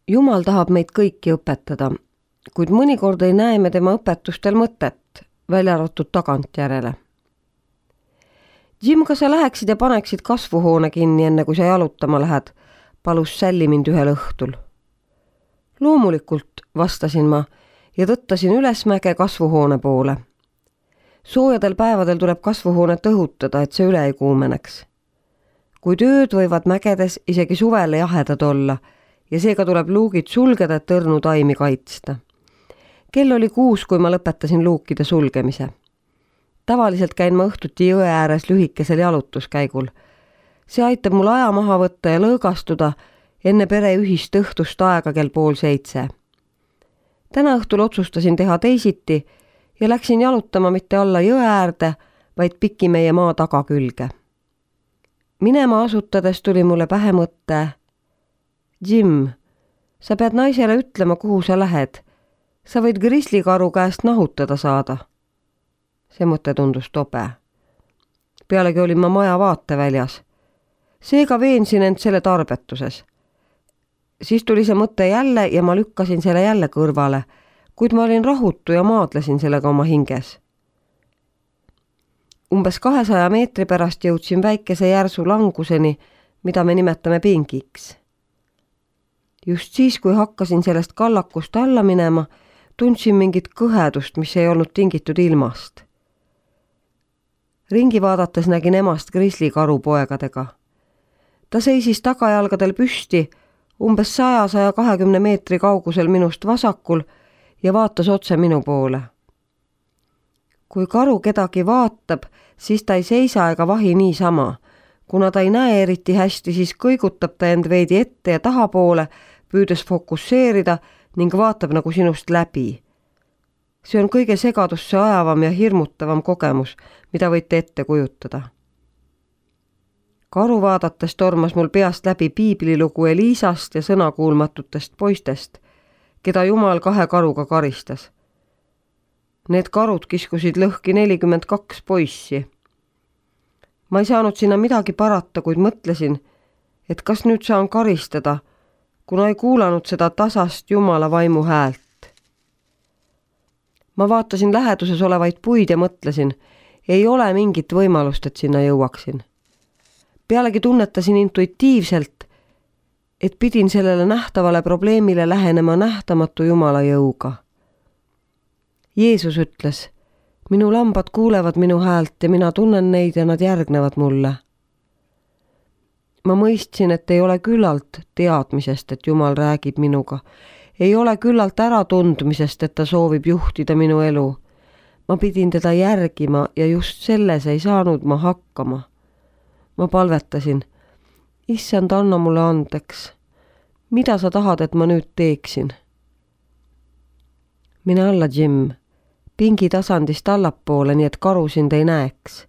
Jumal tahab meid kõiki õpetada, kuid mõnikord ei näe me tema õpetustel mõtet, välja arvatud tagantjärele. Jim, kas sa läheksid ja paneksid kasvuhoone kinni, enne kui sa jalutama lähed, palus Sally mind ühel õhtul. Loomulikult, vastasin ma ja tõttasin ülesmäge kasvuhoone poole. Soojadel päevadel tuleb kasvuhoonet õhutada, et see üle ei kuumeneks. Kuid ööd võivad mägedes isegi suvele jahedad olla ja seega tuleb luugid sulgeda, et õrnu taimi kaitsta. Kell oli 6, kui ma lõpetasin luukide sulgemise. Tavaliselt käin ma õhtuti jõe ääres lühikesel jalutuskäigul. See aitab mul aja maha võtta ja lõõgastuda enne pere ühist õhtust aega kell 6:30. Täna õhtul otsustasin teha teisiti ja läksin jalutama mitte alla jõe äärde, vaid piki meie maa tagakülge. Minema asutades tuli mulle pähe mõte: Jim, sa pead naisele ütlema, kuhu sa lähed. Sa võid grislikaru käest nahutada saada. See mõte tundus tobe. Pealegi olin ma maja vaateväljas. Seega veensin end selle tarbetuses. Siis tuli see mõte jälle ja ma lükkasin selle jälle kõrvale, kuid ma olin rahutu ja maadlesin sellega oma hinges. Umbes 200 meetri pärast jõudsin väikese järsu languseni, mida me nimetame pingiks. Just siis, kui hakkasin sellest kallakust alla minema, tundsin mingit kõhedust, mis ei olnud tingitud ilmast. Ringi vaadates nägin emast grislikaru poegadega. Ta seisis tagajalgadel püsti, umbes 100-120 meetri kaugusel minust vasakul ja vaatas otse minu poole. Kui karu kedagi vaatab, siis ta ei seisa ega vahi niisama. Kuna ta ei näe eriti hästi, siis kõigutab ta end veidi ette ja tahapoole, püüdes fokusseerida ning vaatab nagu sinust läbi. See on kõige segadusse ajavam ja hirmutavam kogemus, mida võite ette kujutada. Karu vaadates tormas mul peast läbi piiblilugu Eliisast ja sõnakuulmatutest poistest, keda Jumal 2 karuga karistas. Need karud kiskusid lõhki 42 poissi. Ma ei saanud sinna midagi parata, kuid mõtlesin, et kas nüüd saan karistada, kuna ei kuulanud seda tasast Jumala vaimu häält. Ma vaatasin läheduses olevaid puid ja mõtlesin, ei ole mingit võimalust, et sinna jõuaksin. Pealegi tunnetasin intuitiivselt, et pidin sellele nähtavale probleemile lähenema nähtamatu Jumala jõuga. Jeesus ütles: minu lambad kuulevad minu häält ja mina tunnen neid ja nad järgnevad mulle. Ma mõistsin, et ei ole küllalt teadmisest, et Jumal räägib minuga. Ei ole küllalt äratundmisest, et ta soovib juhtida minu elu. Ma pidin teda järgima ja just selles ei saanud ma hakkama. Ma palvetasin: Issand, anna mulle andeks. Mida sa tahad, et ma nüüd teeksin? Mine alla, Jim. Pingi tasandist allapoole, nii et karu sind ei näeks.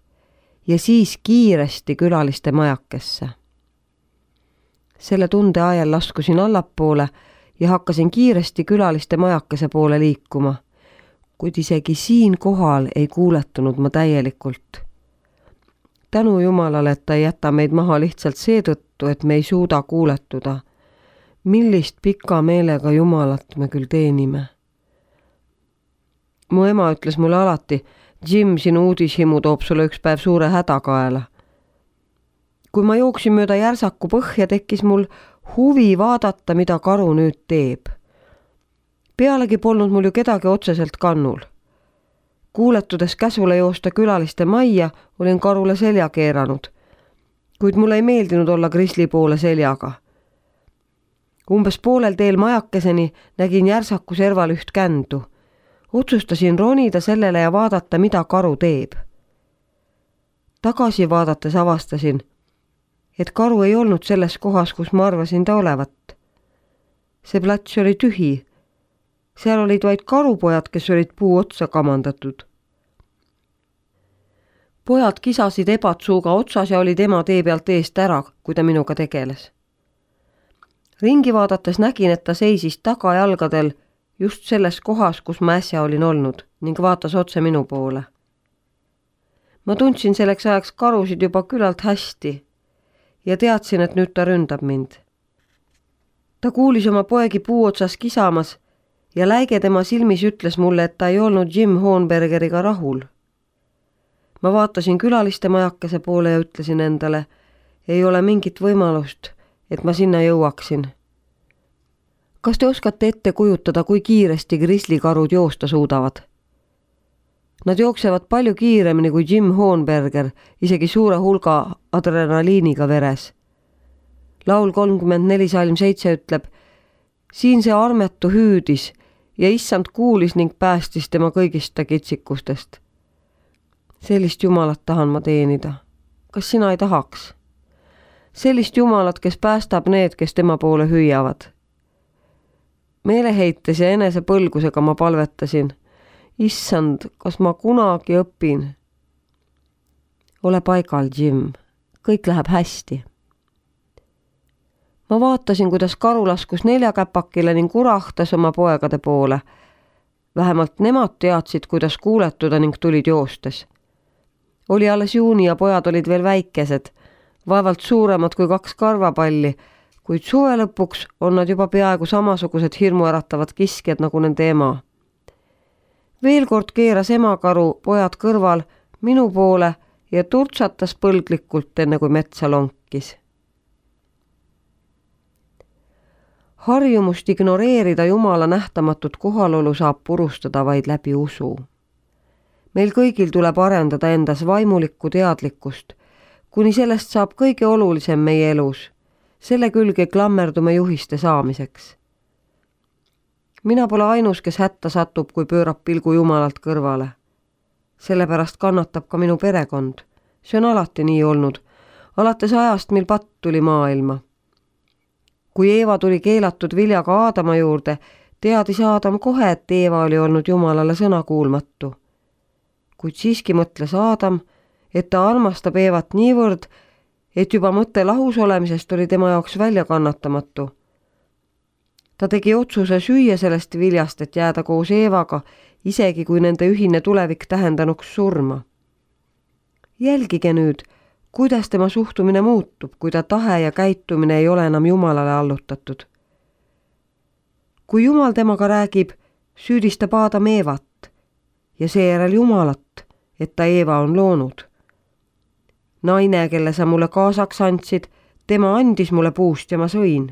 Ja siis kiiresti külaliste majakesse. Selle tunde ajal laskusin allapoole ja hakkasin kiiresti külaliste majakese poole liikuma, kuid isegi siin kohal ei kuuletunud ma täielikult. Tänu Jumalale, et ta ei jäta meid maha lihtsalt seetõttu, et me ei suuda kuuletuda. Millist pika meelega Jumalat me küll teenime. Mu ema ütles mulle alati: Jim, sinu uudishimu toob sulle üks päev suure häda kaela. Kui ma jooksin mööda järsaku põhja, tekkis mul huvi vaadata, mida karu nüüd teeb. Pealegi polnud mul ju kedagi otseselt kannul. Kuuletudes käsule joosta külaliste majja, olin karule selja keeranud, kuid mulle ei meeldinud olla grisli poole seljaga. Umbes poolel teel majakeseni nägin järsaku serval üht kändu. Otsustasin ronida sellele ja vaadata, mida karu teeb. Tagasi vaadates avastasin, et karu ei olnud selles kohas, kus ma arvasin ta olevat. See plats oli tühi. Seal olid vaid karupojad, kes olid puu otsa kamandatud. Pojad kisasid ebatsuuga otsas ja olid ema tee pealt eest ära, kui ta minuga tegeles. Ringi vaadates nägin, et ta seisis tagajalgadel just selles kohas, kus ma äsja olin olnud ning vaatas otse minu poole. Ma tundsin selleks ajaks karusid juba küllalt hästi ja teadsin, et nüüd ta ründab mind. Ta kuulis oma poegi puu otsas kisamas ja läige tema silmis ütles mulle, et ta ei olnud Jim Hohenbergeriga rahul. Ma vaatasin külaliste majakese poole ja ütlesin endale, ei ole mingit võimalust, et ma sinna jõuaksin. Kas te oskate ette kujutada, kui kiiresti grislikarud joosta suudavad? Nad jooksevad palju kiiremini kui Jim Hohenberger, isegi suure hulga adrenaliiniga veres. Laul 34 salm 7 ütleb, siin see armetu hüüdis ja issand kuulis ning päästis tema kõigist ta kitsikustest. Sellist Jumalat tahan ma teenida. Kas sina ei tahaks? Sellist Jumalat, kes päästab need, kes tema poole hüüavad. Meeleheites ja enese põlgusega ma palvetasin. Issand, kas ma kunagi õpin? Ole paigal, Jim. Kõik läheb hästi. Ma vaatasin, kuidas karu laskus neljakäpakile ning urahtas oma poegade poole. Vähemalt nemad teadsid, kuidas kuuletuda ning tulid joostes. Oli alles juuni ja pojad olid veel väikesed, vaevalt suuremad kui 2 karvapalli, kuid suve lõpuks on nad juba peaaegu samasugused hirmuäratavad kiskjad nagu nende ema. Veel kord keeras emakaru pojad kõrval minu poole ja turtsatas põlglikult, enne kui metsa lonkis. Harjumust ignoreerida Jumala nähtamatut kohalolu saab purustada vaid läbi usu. Meil kõigil tuleb arendada endas vaimulikku teadlikkust, kuni sellest saab kõige olulisem meie elus. Selle külge klammerdume juhiste saamiseks. Mina pole ainus, kes hätta satub, kui pöörab pilgu Jumalalt kõrvale. Sellepärast kannatab ka minu perekond. See on alati nii olnud, alates ajast, mil patt tuli maailma. Kui Eeva tuli keelatud viljaga Aadama juurde, teadis Aadam kohe, et Eeva oli olnud Jumalale sõnakuulmatu. Kuid siiski mõtles Aadam, et ta armastab Eevat niivõrd, et juba mõte lahus olemisest oli tema jaoks väljakannatamatu. Ta tegi otsuse süüa sellest viljast, et jääda koos Eevaga, isegi kui nende ühine tulevik tähendanuks surma. Jälgige nüüd, kuidas tema suhtumine muutub, kui ta tahe ja käitumine ei ole enam Jumalale allutatud. Kui Jumal temaga räägib, süüdistab Aadam Eevat ja seejärel Jumalat, et ta Eeva on loonud. Naine, kelle sa mulle kaasaks andsid, tema andis mulle puust ja ma sõin.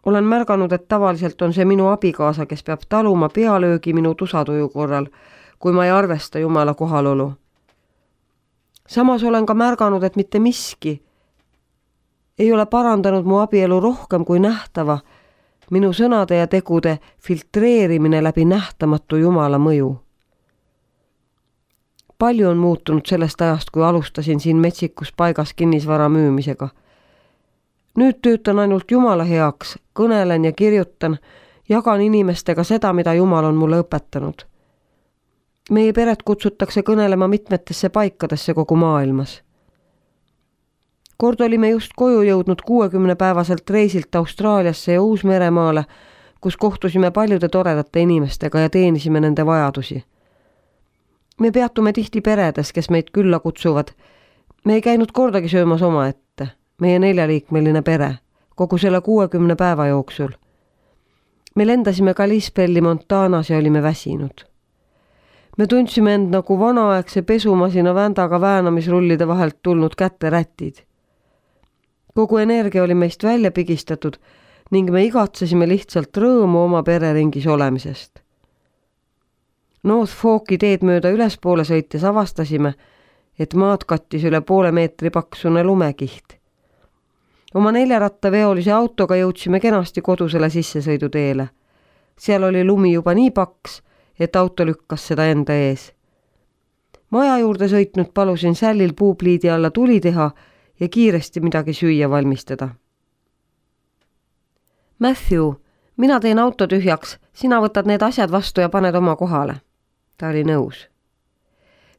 Olen märganud, et tavaliselt on see minu abikaasa, kes peab taluma pealöögi minu tusatuju korral, kui ma ei arvesta Jumala kohalolu. Samas olen ka märganud, et mitte miski ei ole parandanud mu abielu rohkem kui nähtava, minu sõnade ja tegude filtreerimine läbi nähtamatu Jumala mõju. Palju on muutunud sellest ajast, kui alustasin siin metsikus paigas kinnisvara müümisega. Nüüd töötan ainult Jumala heaks, kõnelen ja kirjutan, jagan inimestega seda, mida Jumal on mulle õpetanud. Meie peret kutsutakse kõnelema mitmetesse paikadesse kogu maailmas. Kord olime just koju jõudnud 60-päevaselt reisilt Austraaliasse ja Uus-Meremaale, kus kohtusime paljude toredate inimestega ja teenisime nende vajadusi. Me peatume tihti peredes, kes meid külla kutsuvad. Me ei käinud kordagi söömas omaette, meie 4-liikmeline pere, kogu selle 60 päeva jooksul. Me lendasime Kalispelli Montanas ja olime väsinud. Me tundsime end nagu vanaaegse pesumasina vändaga väänamisrullide vahelt tulnud käterätid. Kogu energia oli meist välja pigistatud ning me igatsesime lihtsalt rõõmu oma pereringis olemisest. North Forki teed mööda ülespoole sõites avastasime, et maad kattis üle poole meetri paksune lumekiht. Oma 4-rattaveolise autoga jõudsime kenasti kodusele sissesõiduteele. Seal oli lumi juba nii paks, et auto lükkas seda enda ees. Maja juurde sõitnud palusin sällil puupliidi alla tuli teha ja kiiresti midagi süüa valmistada. Matthew, mina teen auto tühjaks, sina võtad need asjad vastu ja paned oma kohale. Ta oli nõus.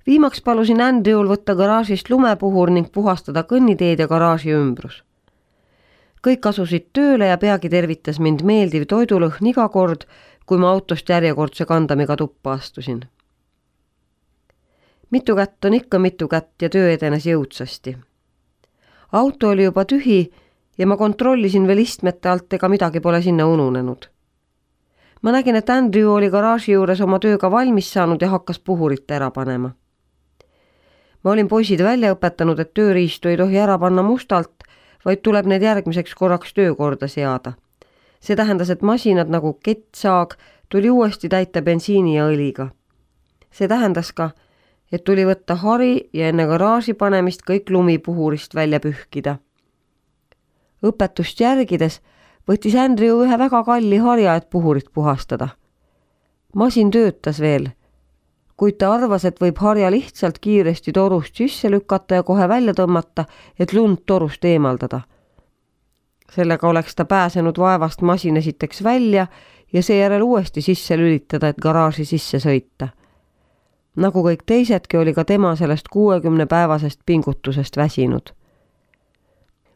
Viimaks palusin Andrew'l võtta garaažist lumepuhur ning puhastada kõnniteed ja garaaži ümbrus. Kõik asusid tööle ja peagi tervitas mind meeldiv toidulõhn iga kord, kui ma autost järjekordse kandamiga tuppa astusin. Mitu kätt on ikka mitu kätt ja töö edenes jõudsasti. Auto oli juba tühi ja ma kontrollisin veel istmete alt, ega midagi pole sinna ununenud. Ma nägin, et Andrew oli garaaži juures oma tööga valmis saanud ja hakkas puhurit ära panema. Ma olin poisid välja õpetanud, et tööriistu ei tohi ära panna mustalt, vaid tuleb need järgmiseks korraks töökorda seada. See tähendas, et masinad nagu kettsaag tuli uuesti täita bensiini ja õliga. See tähendas ka, et tuli võtta hari ja enne garaaži panemist kõik lumi puhurist välja pühkida. Õpetust järgides võttis Andrew ühe väga kalli harja, et puhurit puhastada. Masin töötas veel, kuid ta arvas, et võib harja lihtsalt kiiresti torust sisse lükata ja kohe välja tõmmata, et lund torust eemaldada. Sellega oleks ta pääsenud vaevast masin esiteks välja ja seejärel uuesti sisse lülitada, et garaaži sisse sõita. Nagu kõik teisedki, oli ka tema sellest 60-päevasest pingutusest väsinud.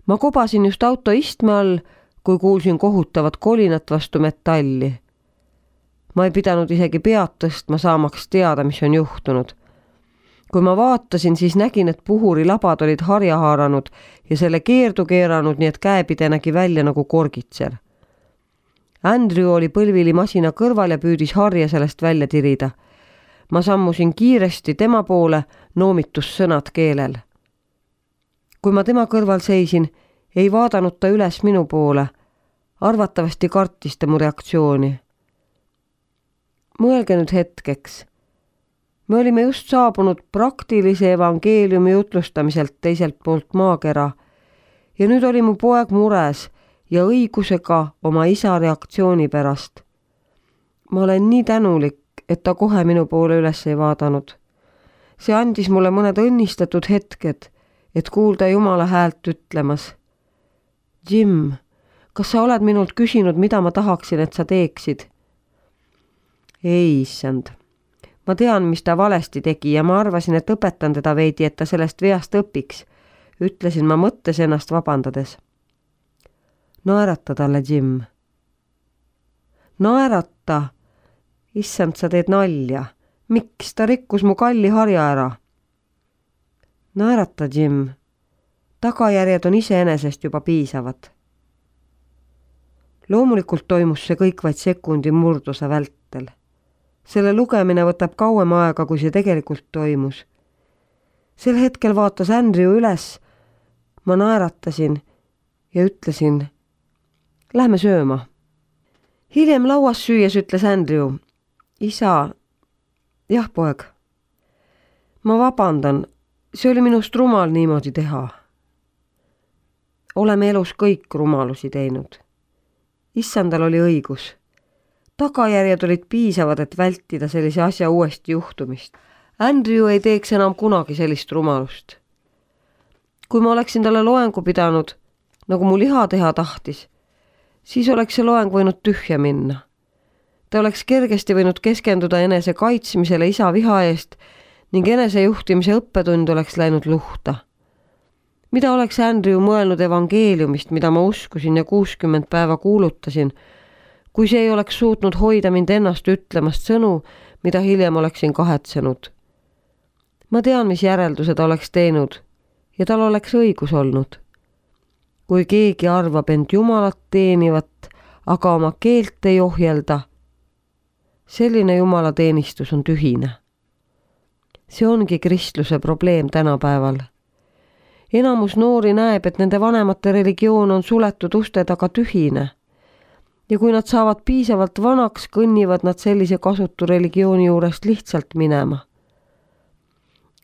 Ma kobasin just auto istme all, kui kuulsin kohutavat kolinat vastu metalli. Ma ei pidanud isegi pead tõstma, saamaks teada, mis on juhtunud. Kui ma vaatasin, siis nägin, et puhuri labad olid harja haaranud ja selle keerdu keeranud, nii et käepide nägi välja nagu korgitser. Andrew oli põlvili masina kõrval ja püüdis harja sellest välja tirida. Ma sammusin kiiresti tema poole, noomitussõnad keelel. Kui ma tema kõrval seisin, ei vaadanud ta üles minu poole. Arvatavasti kartis ta mu reaktsiooni. Mõelge nüüd hetkeks. Me olime just saabunud praktilise evangeeliumi jutlustamiselt teiselt poolt maakera ja nüüd oli mu poeg mures ja õigusega oma isa reaktsiooni pärast. Ma olen nii tänulik, et ta kohe minu poole üles ei vaadanud. See andis mulle mõned õnnistatud hetked, et kuulda Jumala häält ütlemas. Jim, kas sa oled minult küsinud, mida ma tahaksin, et sa teeksid? Ei, issand. Ma tean, mis ta valesti tegi ja ma arvasin, et õpetan teda veidi, et ta sellest veast õpiks, ütlesin ma mõttes ennast vabandades. Naerata talle, Jim. Naerata? Issand, sa teed nalja. Miks ta rikkus mu kalli harja ära? Naerata, Jim. Tagajärjed on iseenesest juba piisavad. Loomulikult toimus see kõik vaid sekundi murduse vältel. Selle lugemine võtab kauem aega, kui see tegelikult toimus. Sel hetkel vaatas Andrew üles, ma naeratasin ja ütlesin, lähme sööma. Hiljem lauas süües ütles Andrew, isa, jah poeg, ma vabandan, see oli minust rumal niimoodi teha. Oleme elus kõik rumalusi teinud. Issandal oli õigus. Tagajärjed olid piisavad, et vältida sellise asja uuesti juhtumist. Andrew ei teeks enam kunagi sellist rumalust. Kui ma oleksin talle loengu pidanud, nagu mu liha teha tahtis, siis oleks see loeng võinud tühja minna. Ta oleks kergesti võinud keskenduda enese kaitsmisele isa viha eest ning enesejuhtimise õppetund oleks läinud luhta. Mida oleks Andrew mõelnud evangeeliumist, mida ma uskusin ja 60 päeva kuulutasin, kui see ei oleks suutnud hoida mind ennast ütlemast sõnu, mida hiljem oleksin kahetsenud. Ma tean, mis järelduse ta oleks teinud ja tal oleks õigus olnud. Kui keegi arvab end Jumalat teenivat, aga oma keelt ei ohjelda, selline Jumala teenistus on tühine. See ongi kristluse probleem tänapäeval. Enamus noori näeb, et nende vanemate religioon on suletud uste taga tühine. Ja kui nad saavad piisavalt vanaks, kõnnivad nad sellise kasutu religiooni juurest lihtsalt minema.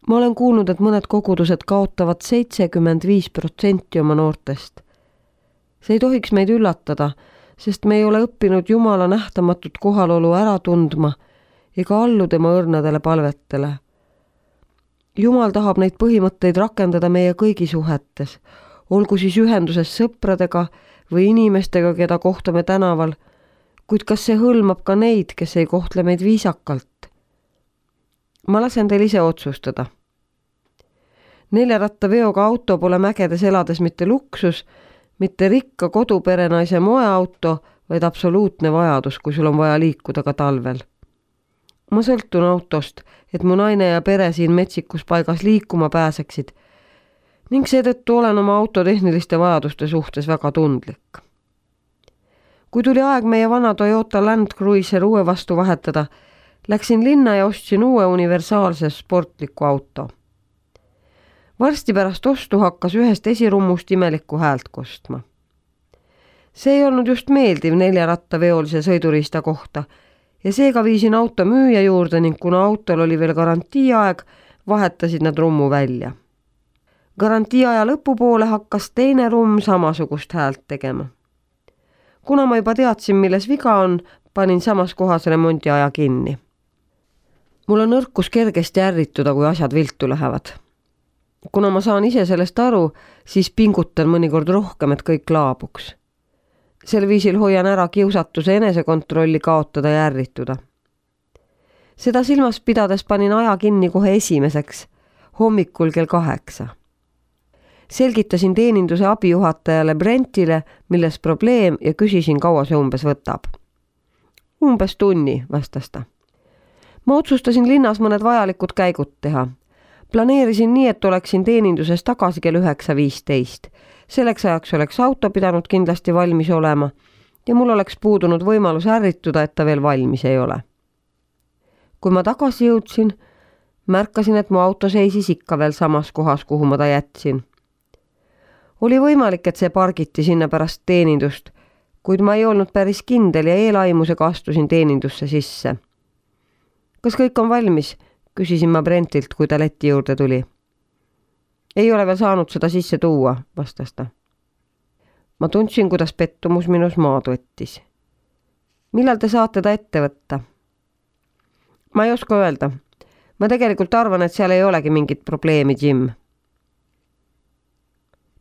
Ma olen kuulnud, et mõned kogudused kaotavad 75% oma noortest. See ei tohiks meid üllatada, sest me ei ole õppinud Jumala nähtamatut kohalolu ära tundma ega allu tema õrnadele palvetele. Jumal tahab neid põhimõtteid rakendada meie kõigi suhetes, olgu siis ühenduses sõpradega või inimestega, keda kohtame tänaval, kuid kas see hõlmab ka neid, kes ei kohtle meid viisakalt? Ma lasen teil ise otsustada. 4-rattaveoga auto pole mägedes elades mitte luksus, mitte rikka koduperenaise moeauto, vaid absoluutne vajadus, kui sul on vaja liikuda ka talvel. Ma sõltun autost, et mu naine ja pere siin metsikus paigas liikuma pääseksid ning seetõttu olen oma auto tehniliste vajaduste suhtes väga tundlik. Kui tuli aeg meie vana Toyota Land Cruiser uue vastu vahetada, läksin linna ja ostsin uue universaalse sportliku auto. Varsti pärast ostu hakkas ühest esirummust imelikku häält kostma. See ei olnud just meeldiv 4-rattaveolise sõiduriista kohta ja seega viisin auto müüja juurde ning kuna autol oli veel garantiiaeg, vahetasid nad rummu välja. Garantiiaja lõpupoole hakkas teine rumm samasugust häält tegema. Kuna ma juba teadsin, milles viga on, panin samas kohas remondiaja kinni. Mul on nõrkus kergesti ärrituda, kui asjad viltu lähevad. Kuna ma saan ise sellest aru, siis pingutan mõnikord rohkem, et kõik laabuks. Sel viisil hoian ära kiusatuse enesekontrolli kaotada ja ärrituda. Seda silmas pidades panin aja kinni kohe esimeseks, hommikul kell 8. Selgitasin teeninduse abijuhatajale Brentile, milles probleem ja küsisin, kaua see umbes võtab. Umbes tunni, vastas ta. Ma otsustasin linnas mõned vajalikud käigud teha. Planeerisin nii, et oleksin teeninduses tagasi kell 9:15. Selleks ajaks oleks auto pidanud kindlasti valmis olema ja mul oleks puudunud võimalus ärrituda, et ta veel valmis ei ole. Kui ma tagasi jõudsin, märkasin, et mu auto seisis ikka veel samas kohas, kuhu ma ta jätsin. Oli võimalik, et see pargiti sinna pärast teenindust, kuid ma ei olnud päris kindel ja eelaimusega astusin teenindusse sisse. Kas kõik on valmis? Küsisin ma Brentilt, kui ta leti juurde tuli. Ei ole veel saanud seda sisse tuua, vastas ta. Ma tundsin, kuidas pettumus minus maad võttis. Millal te saate ta ette võtta? Ma ei oska öelda. Ma tegelikult arvan, et seal ei olegi mingit probleemi, Jim.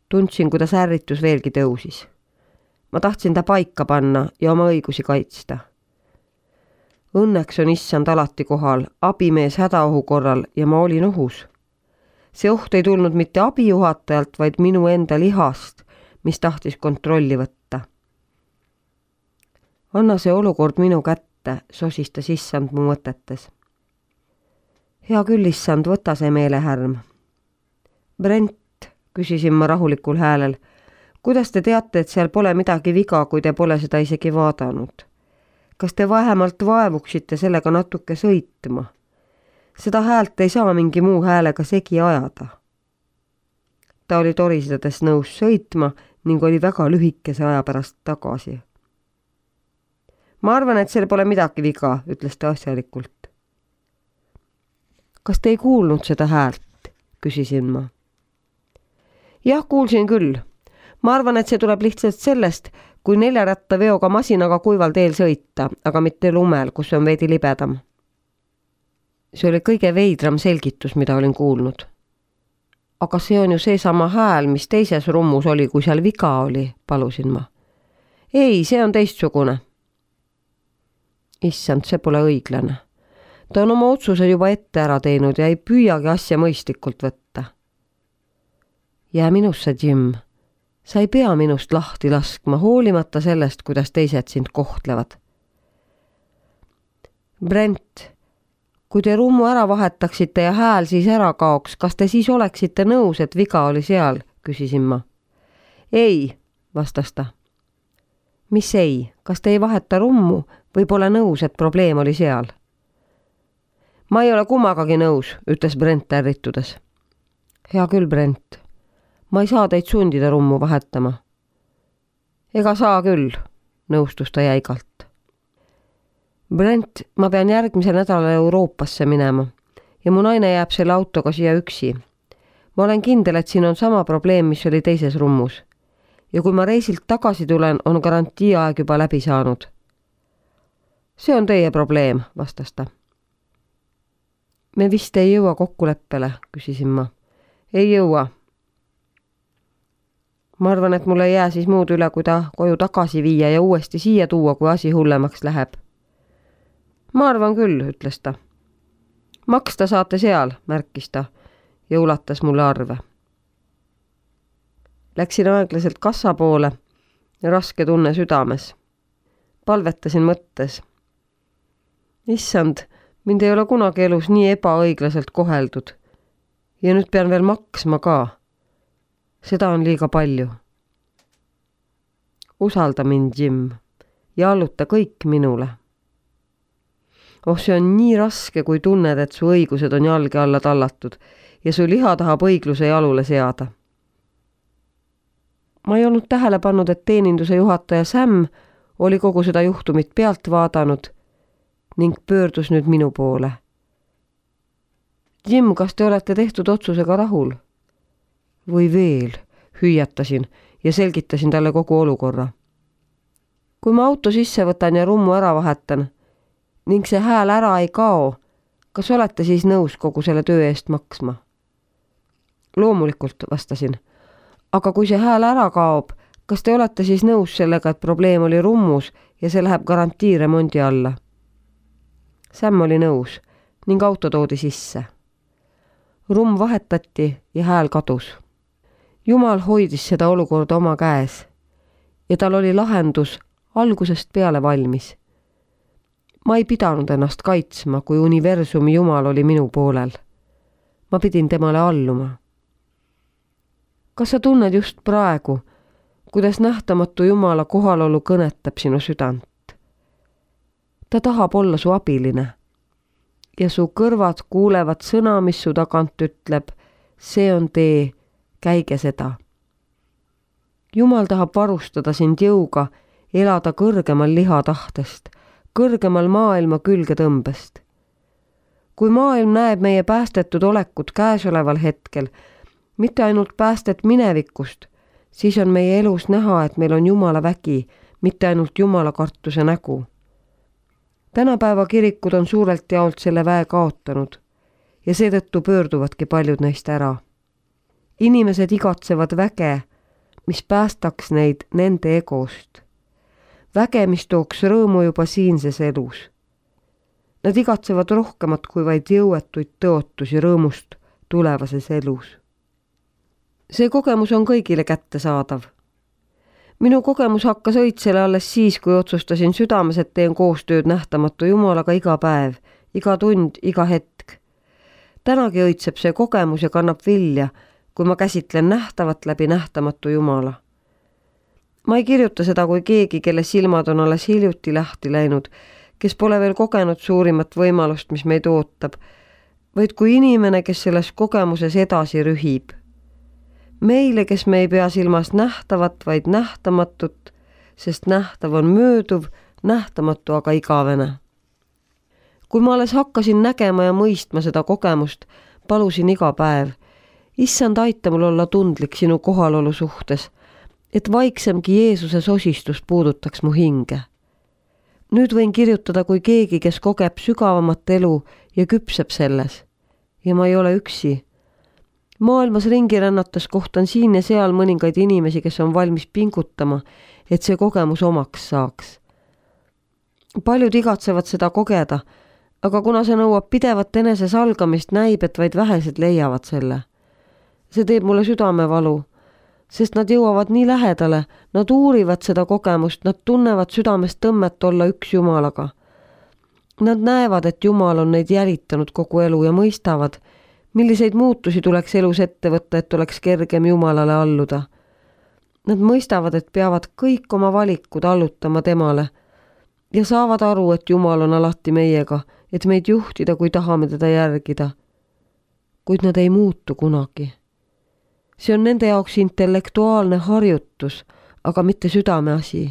Tundsin, kuidas ärritus veelgi tõusis. Ma tahtsin ta paika panna ja oma õigusi kaitsta. Õnneks on issand alati kohal, abimees hädaohu korral ja ma olin ohus. See oht ei tulnud mitte abijuhatajalt, vaid minu enda lihast, mis tahtis kontrolli võtta. Anna see olukord minu kätte, sosistas issand mu mõtetes. Hea küll, issand, võta see meelehärm. Brent, küsisin ma rahulikul häälel, kuidas te teate, et seal pole midagi viga, kui te pole seda isegi vaadanud? Kas te vähemalt vaevuksite sellega natuke sõitma? Seda häält ei saa mingi muu häälega segi ajada. Ta oli torisades nõus sõitma ning oli väga lühikese aja pärast tagasi. Ma arvan, et seal pole midagi viga, ütles ta asjalikult. Kas te ei kuulnud seda häält? Küsisin ma. Jah, kuulsin küll. Ma arvan, et see tuleb lihtsalt sellest, kui 4-rattaveoga masinaga kuival teel sõita, aga mitte lumel, kus on veidi libedam. See oli kõige veidram selgitus, mida olin kuulnud. Aga see on ju seesama hääl, mis teises rummus oli, kui seal viga oli, palusin ma. Ei, see on teistsugune. Issand, see pole õiglane. Ta on oma otsuse juba ette ära teinud ja ei püüagi asja mõistlikult võtta. Jää minusse, Jim. Sa ei pea minust lahti laskma, hoolimata sellest, kuidas teised sind kohtlevad. Brent, kui te rummu ära vahetaksite ja hääl siis ära kaoks, kas te siis oleksite nõus, et viga oli seal, küsisin ma. Ei, vastas ta. Mis ei, kas te ei vaheta rummu või pole nõus, et probleem oli seal? Ma ei ole kummagagi nõus, ütles Brent ärritudes. Hea küll, Brent. Ma ei saa teid sundida rummu vahetama. Ega saa küll, nõustus ta jäigalt. Brent, ma pean järgmisel nädalal Euroopasse minema ja mu naine jääb selle autoga siia üksi. Ma olen kindel, et siin on sama probleem, mis oli teises rummus. Ja kui ma reisilt tagasi tulen, on garantiiaeg juba läbi saanud. See on teie probleem, vastas ta. Me vist ei jõua kokkuleppele, küsisin ma. Ei jõua. Ma arvan, et mul ei jää siis muud üle, kui ta koju tagasi viia ja uuesti siia tuua, kui asi hullemaks läheb. Ma arvan küll, ütles ta. Maksta saate seal, märkis ta ja ulatas mulle arve. Läksin aeglaselt kassa poole ja raske tunne südames. Palvetasin mõttes. Issand, mind ei ole kunagi elus nii ebaõiglaselt koheldud. Ja nüüd pean veel maksma ka. Seda on liiga palju. Usalda mind, Jim, ja alluta kõik minule. See on nii raske, kui tunned, et su õigused on jalge alla tallatud ja su liha tahab õigluse jalule seada. Ma ei olnud tähele pannud, et teeninduse juhataja Sam oli kogu seda juhtumit pealt vaadanud ning pöördus nüüd minu poole. Jim, kas te olete tehtud otsusega rahul? Või veel, hüüatasin ja selgitasin talle kogu olukorra. Kui ma auto sisse võtan ja rummu ära vahetan ning see hääl ära ei kao, kas olete siis nõus kogu selle töö eest maksma? Loomulikult, vastasin. Aga kui see hääl ära kaob, kas te olete siis nõus sellega, et probleem oli rummus ja see läheb garantiiremondi alla? Sam oli nõus ning auto toodi sisse. Rumm vahetati ja hääl kadus. Jumal hoidis seda olukorda oma käes ja tal oli lahendus algusest peale valmis. Ma ei pidanud ennast kaitsma, kui universumi Jumal oli minu poolel. Ma pidin temale alluma. Kas sa tunned just praegu, kuidas nähtamatu Jumala kohalolu kõnetab sinu südant? Ta tahab olla su abiline ja su kõrvad kuulevad sõna, mis su tagant ütleb, see on tee, käige seda. Jumal tahab varustada sind jõuga elada kõrgemal lihatahtest, kõrgemal maailma külgetõmbest. Kui maailm näeb meie päästetud olekut käesoleval hetkel, mitte ainult päästet minevikust, siis on meie elus näha, et meil on Jumala vägi, mitte ainult Jumala kartuse nägu. Tänapäeva kirikud on suurelt jaolt selle väe kaotanud ja seetõttu pöörduvadki paljud neist ära. Inimesed igatsevad väge, mis päästaks neid nende egost. Väge, mis tooks rõõmu juba siinses elus. Nad igatsevad rohkemat kui vaid jõuetuid tõotusi rõõmust tulevases elus. See kogemus on kõigile kättesaadav. Minu kogemus hakkas õitsele alles siis, kui otsustasin südames, et teen koostööd nähtamatu Jumalaga iga päev, iga tund, iga hetk. Tänagi õitseb see kogemus ja kannab vilja, kui ma käsitlen nähtavat läbi nähtamatu Jumala. Ma ei kirjuta seda kui keegi, kelle silmad on alles hiljuti lahti läinud, kes pole veel kogenud suurimat võimalust, mis meid ootab, vaid kui inimene, kes selles kogemuses edasi rühib. Meile, kes me ei pea silmas nähtavat, vaid nähtamatut, sest nähtav on mööduv, nähtamatu aga igavene. Kui ma alles hakkasin nägema ja mõistma seda kogemust, palusin iga päev, issand, aita mul olla tundlik sinu kohalolu suhtes, et vaiksemgi Jeesuse sosistus puudutaks mu hinge. Nüüd võin kirjutada kui keegi, kes kogeb sügavamat elu ja küpseb selles. Ja ma ei ole üksi. Maailmas ringi rännates kohtan siin ja seal mõningaid inimesi, kes on valmis pingutama, et see kogemus omaks saaks. Paljud igatsevad seda kogeda, aga kuna see nõuab pidevat enesesalgamist, näib, et vaid vähesed leiavad selle. See teeb mulle südamevalu, sest nad jõuavad nii lähedale, nad uurivad seda kogemust, nad tunnevad südamest tõmmet olla üks Jumalaga. Nad näevad, et Jumal on neid jälitanud kogu elu ja mõistavad, milliseid muutusi tuleks elus ette võtta, et oleks kergem Jumalale alluda. Nad mõistavad, et peavad kõik oma valikud allutama temale ja saavad aru, et Jumal on alati meiega, et meid juhtida, kui tahame teda järgida. Kuid nad ei muutu kunagi. See on nende jaoks intellektuaalne harjutus, aga mitte südameasi.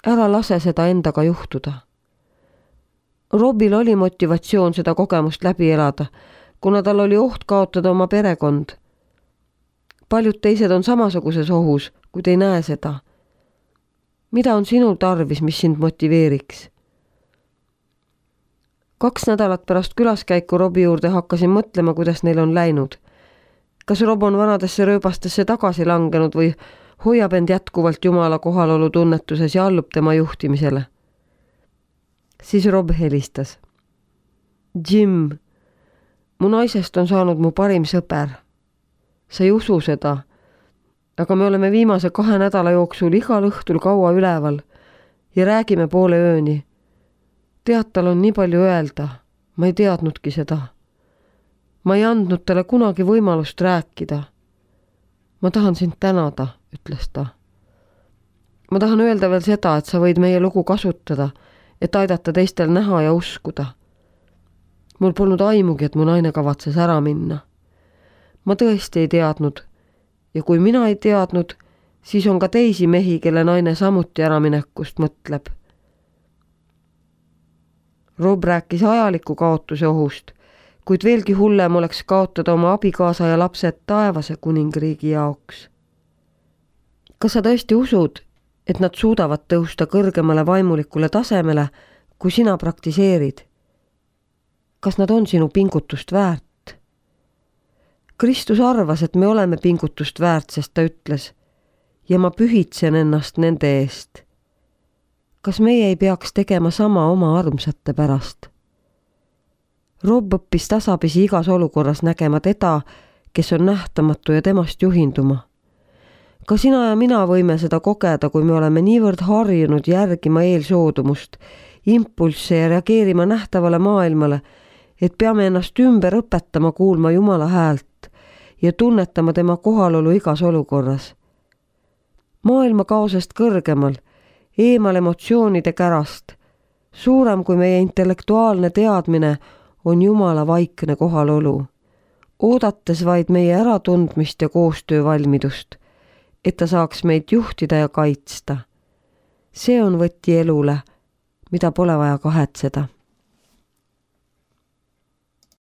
Ära lase seda endaga juhtuda. Robil oli motivatsioon seda kogemust läbi elada, kuna tal oli oht kaotada oma perekond. Paljud teised on samasuguses ohus, kuid ei näe seda. Mida on sinul tarvis, mis sind motiveeriks? 2 nädalat pärast külaskäiku Robi juurde hakkasin mõtlema, kuidas neil on läinud. Kas Rob on vanadesse rööbastesse tagasi langenud või hoiab end jätkuvalt Jumala kohalolu tunnetuses ja allub tema juhtimisele? Siis Rob helistas. Jim, mu naisest on saanud mu parim sõber. Sa ei usu seda, aga me oleme viimase 2 nädala jooksul igal õhtul kaua üleval ja räägime poole ööni. Tead, tal on nii palju öelda, ma ei teadnudki seda. Ma ei andnud talle kunagi võimalust rääkida. Ma tahan sind tänada, ütles ta. Ma tahan öelda veel seda, et sa võid meie lugu kasutada, et aidata teistel näha ja uskuda. Mul polnud aimugi, et mu naine kavatses ära minna. Ma tõesti ei teadnud ja kui mina ei teadnud, siis on ka teisi mehi, kelle naine samuti äraminekust mõtleb. Rob rääkis ajaliku kaotuse ohust, kuid veelgi hullem oleks kaotada oma abikaasa ja lapsed taevase kuningriigi jaoks. Kas sa tõesti usud, et nad suudavad tõusta kõrgemale vaimulikule tasemele, kui sina praktiseerid? Kas nad on sinu pingutust väärt? Kristus arvas, et me oleme pingutust väärt, sest ta ütles, ja ma pühitsen ennast nende eest. Kas meie ei peaks tegema sama oma armsate pärast? Rob õppis tasapisi igas olukorras nägema teda, kes on nähtamatu ja temast juhinduma. Ka sina ja mina võime seda kogeda, kui me oleme niivõrd harjunud järgima eelsoodumust, impulsse ja reageerima nähtavale maailmale, et peame ennast ümber õpetama kuulma Jumala häält ja tunnetama tema kohalolu igas olukorras. Maailma kaosest kõrgemal, eemal emotsioonide kärast, suurem kui meie intellektuaalne teadmine on Jumala vaikne kohalolu, oodates vaid meie äratundmist ja koostöövalmidust, et ta saaks meid juhtida ja kaitsta. See on võti elule, mida pole vaja kahetseda.